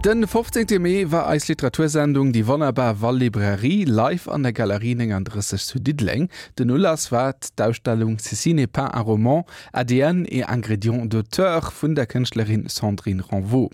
Den 15 Mee war eis Literatursendung Déi wonnerbar Wall-Librairie live an der Galerie 39 zu Diddeleng. Den Ulass war d'Ausstellung Ceci n'est pas un roman, ADN et ingrédients d'auteur vun der Kënschtlerin Sandrine Renvaux.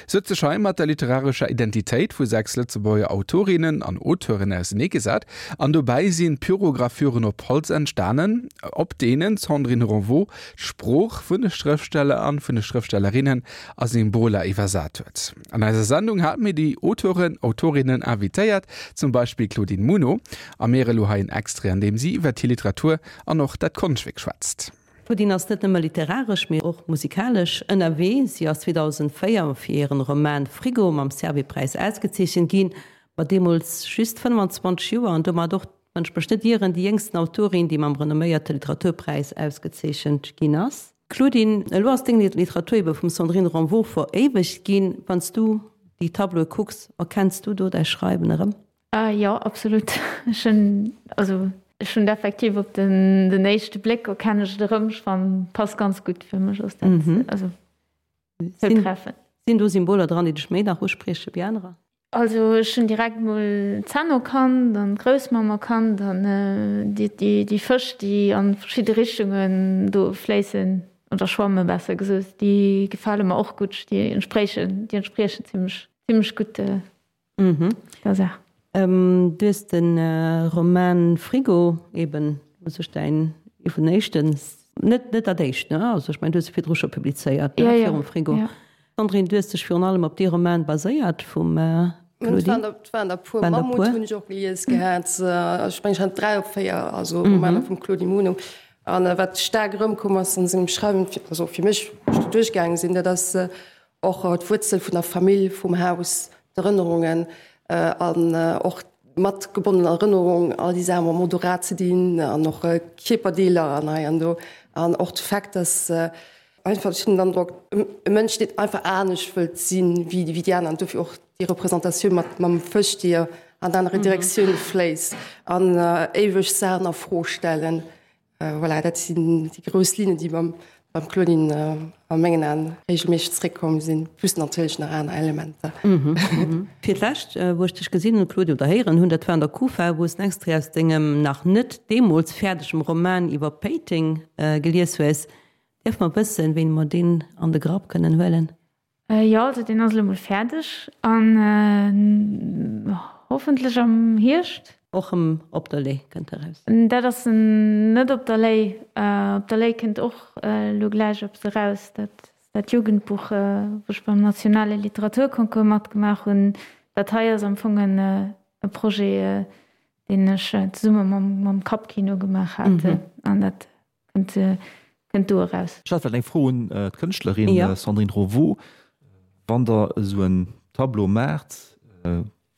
Se huet sech hei mat der literarescher Identitéit vu 6 Lëtzebuerger Autorinnen an Auteuren auseneegesat an dobäi sinn Pyrogravüren op Holz entstanen, op deenen d'Sandrine Renvaux d'Sprooch vun de Schrëftsteller an vun de Schrëftstellerinnen a Symboler iwwersat huet. An eiser Sendung hate mir déi Auteuren, Autorinnen invitéiert, zum Beispill d'Claudine Muno. A mir elo hei en Extrait, an deem si iwwert hir Literatur an och dat Konschtwierk schwätzt. D'Claudine ass net nëmme literaresch, mee och musikalesch ënnerwee. Si ass 2004 fir hiren Roman Frigo mam Servais-Präis ausgezeechent ginn, mat deemools just 25 Joer an domat och, wann ech mech net ieren, déi jéngsten Autorin, déi mam renomméierte Literaturpräis ausgezeechent ginn ass. Claudine, elo ass deng Literatur ebe vum Sandrine Renvaux veréiwegt ginn. Wann s du déi Tableaue kucks, erkenns du do däi Schreiwen erëm? Jo, absolut. Ech hunn, also ech hunn et effektiv op den den éischte Bléck erkennen ech et erëm. Ech fannen, passt ganz gutt. Fir mech ass dat also zoutreffend. Sinn do Symboler dran, déi dech méi nach usprieche wéi anerer? Also ech hunn direkt mol d'Zänn erkannt an d'Groussmamm erkannt an déi Fësch, déi an verschidde Richtungen do fléissen, oder schwamme besser gesot, déi gefale mer och gutt. Déi entspriechen, déi entspriechen zimmlech, zimmlech gutt der Saach. Du hues de Roman Frigo eben u sech däin, ee vun den éischten, net net dat éischt, ne? Also ech mengen, du hues e virdru scho publizéiert, ne, virum Frigo. Sandrine, du hues dech virun allem op dee Roman baséiert vum Claudine? Et waren der puer. Mammut hunn ech och gelies gehat. Ech mengen, ech hat 3 op 4, also Romaner vum Claudine Muno. An wat staark erëmkomm ass an sengem Schreiwen, also fir mech, wou ech do duerchgaange sinn, dat ass och d'Wuerzel vun der Famill, vum Haus, d'Erënnerungen an och mat gebonnener Erënnerung, all déi Saache mam Odorat ze dinn an och Kierperdeeler an hei an do. An och de Fait, dass Einfach, ech hunn den Androck, e Mënsch, deen einfach anescht wëllt sinn wéi déi aner an dofir och déi Representatioun mat mam Fësch, déi an anere Direktioune fléisst an éiweg Saachen a Fro stellen. Voilà, dat sinn déi grouss Linnen, déi beim beim Claudine a mengen Aen reegelméisseg zeréckkomm sinn, plus natierlech nach aner Elementer. Fir d'lescht, wou ech dech gesinn hunn, Claudine, oder héieren hunn, dat war an der Kufa, wou s en Extrait aus dengem nach net deemools fäerdegem Roman iwwer Péiteng gelies hues. Dierf mer wëssen, wéini mer deen an de Grapp kënnen huelen? Jo, also deen ass elo mol fäerdeg an hoffentlech am Hierscht. Och erëm op der Lay kënnt eraus? Dat ass net op der Lay. Op der Lay kënnt och elo gläich eppes eraus, dat ass dat Jugendbuch, wou ech beim nationale Literaturconcours matgemaach hunn. Dat hei ass am Fong e Projet, deen ech zesumme mam Kappkino gemaach hat an dat Kënnt, kënnt do eraus. Ech hat vläicht eng Fro un d'Kënschtlerin Sandrine Roveau. Wann Der esou en Tableau maacht,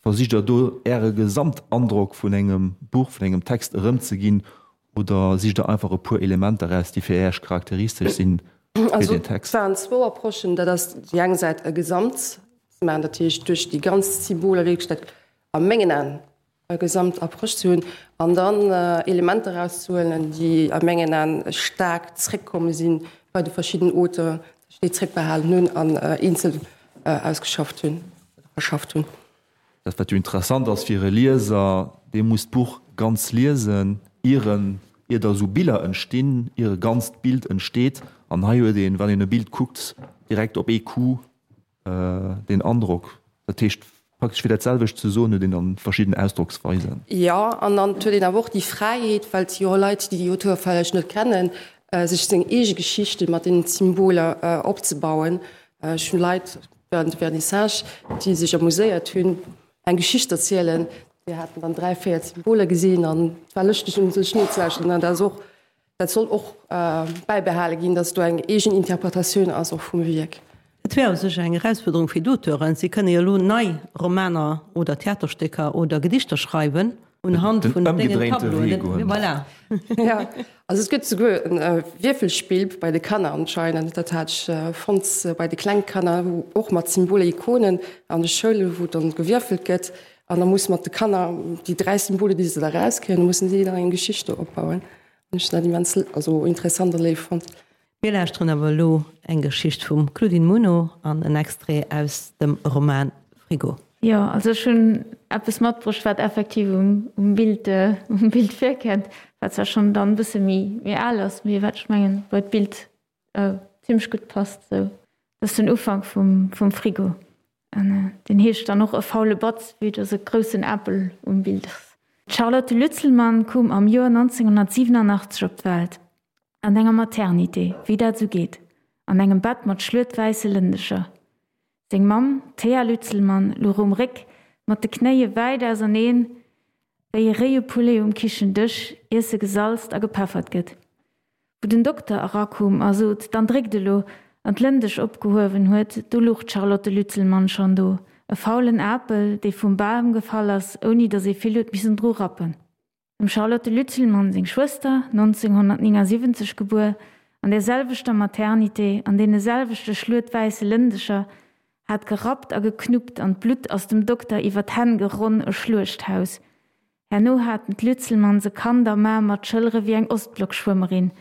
versicht Der do Äre Gesamtandrock vun engem Buch, vun engem Text erëmzeginn oder sicht Der einfach e puer Elementer eraus, déi fir Äech charakteristesch sinn fir deen Text? Also et waren zwou Approchen. Dat ass déi eng Säit e Gesamt ze maachen, dat heescht duerch déi ganz Symboler wierklech dat a mengen Aen e Gesamtapproche ze hunn an dann Elementer erauszehuelen, déi a mengen Aen staark zréckkomme si bei de verschidden Auteuren, dass ech déi zréckbehalen hunn an eenzel ausgeschafft hunn oder verschafft hunn. Dat, wat jo interessant ass fir e Lieser, dee muss d'Buch ganz liesen, ier en, ier da esou Biller entstinn, ier e ganzt Bild entsteet. An hei huet een, wann een e Bild kuckt, direkt op ee Coup deen Androck. Dat heescht, praktesch fir dat selwecht ze soen, huet een dann verschidden Ausdrocksweisen. Jo, an dann huet een awer och déi Fräiheet, well et si jo och Leit, déi déi Auteure vläicht net kennen, sech seng eege Geschichte mat deenen Symboler opzebauen. Ech hunn Leit während de Vernissage, déi sech amuséiert hunn, eng Geschicht erzielen. Déi haten dann 3, 4 Symboler gesinn an et war lëschteg, un sech nozelauschteren. An dat ass och Dat soll och bäibehale ginn, dass do eng eegen Interpretatioun ass och vum Wierk. Et wär u sech eng Erausfuerderung fir d'Auteuren. Si kënne jo elo nei Romaner oder Theaterstécker oder Gedichter schreiwen unhand vun dengen Tableauen. Voilà. Jo, also et gëtt souguer e Wierfelspill bei de Kanner anscheinend. Dat hat ech fonnt bei de Klengkanner, wou och mat Symboler, Ikonen an de Schoulen, wou dann gewierfelt gëtt. An da muss mat de Kanner déi 3 Symboler, déi se da rauskréien, mussen si dann eng Geschicht do opbauen. Hunn ech dat immens also interessant a léif fonnt. Mir lauschteren awer elo eng Geschicht vum Claudine Muno an en Extrait aus dem Roman. Frigo. Jo, also ech hunn eppes matbruecht, wat effektiv um, um Bild, um Bild virkennt, wat zwar schonn dann e bësse méi, méi al ass, mee wat ech mengen, bei d'Bild zimmlech gutt passt. Sou, dat ass den Ufank vum, vum Frigo. An deen heescht dann och E faule Batz, vue dass e groussen Apel um Bild ass. D'Charlotte Lützelmann koum am Joer 1987 op d'Welt. An enger Maternité, wéi dat esou geet. An engem Bett mat schluetwäisse Lëndecher. Seng Mamm, d'Thea Lützelmann, louch um Réck, mat de Knéie wäit auserneen, wéi e réie Poulet um Kichendësch, ier se gesalzt a gepeffert gëtt. Wou den Dokter erakoum a sot, Dann dréckt elo! an d'Lëndesch opgehuewen huet, do luch d'Charlotte Lützelmann schonn do, e faulen Apel, dee vum Bam gefall ass, ouni datt ee vill huet missen dru rappen. Dem Charlotte Lützelmann seng Schwëster, 1979 gebuer, an där selwechter Maternité, an deene selwechte schluetwäisse Lëndecher, hat gerappt a geknuppt an d'Blutt ass dem Dokter iwwer d'Hänn geronn, e Schluechthaus. Herno haten d'Lützelmanns e Kand am Aarm mat Schëllere wéi eng Ostblockschwëmmerin.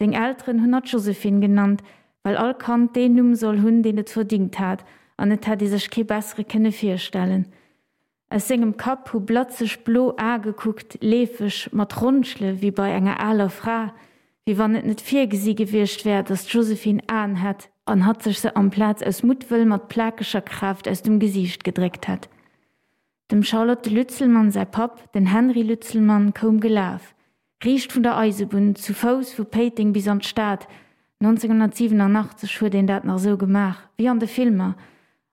Seng Elteren hunn hatt Josephine genannt, well all Kand deen Numm soll hunn, deen et verdingt hat, an et hätt ee sech kee bessere kënne virstellen. Aus sengem Kapp hu blatzeg blo Ae gekuckt, leefeg, mat Ronschele wéi bei enger aler Fra, wéi wann et net virgesi gewiescht wär, datt d'Josephine Aen hätt an hatt sech se amplaz aus Muttwëll mat plakeger Kraaft aus dem Gesiicht gedréckt hätt. Dem Charlotte Lützelmann säi Papp, den Henri Lützelmann, koum gelaf, riicht vun der Eisebunn, zu Fouss vu Péiteng bis an d'Stad. 1987 huet een dat nach esou gemaach, wéi an de Filmer,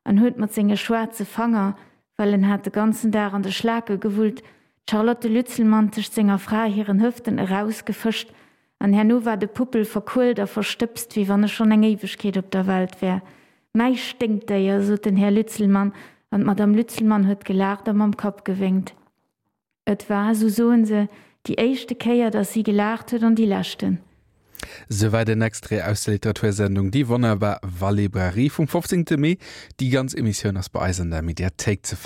an huet mat senge schwaarze Fanger, well en hat de ganzen Dag an de Schlake gewullt, d'Charlotte Lützelmann tëscht senger Fra hiren Hëften erausgefëscht, an herno war de Puppel verkuelt a verstëbst, wéi wann e schonn eng Éiwegkeet op der Welt wär. Mäi Sténkdéier, sot den Här Lützelmann, an d'Madame Lützelmann huet gelaacht a mam Kapp gewénkt. Et war, sou soen se, déi éischte Kéier, datt si gelaacht huet an déi leschten. Souwäit en Extrait aus der Literatursendung Die wunderbar Wallibrairie vum 15. Mee. Déi ganz Emissioun ass bei eis an der Mediathéik ze fannen.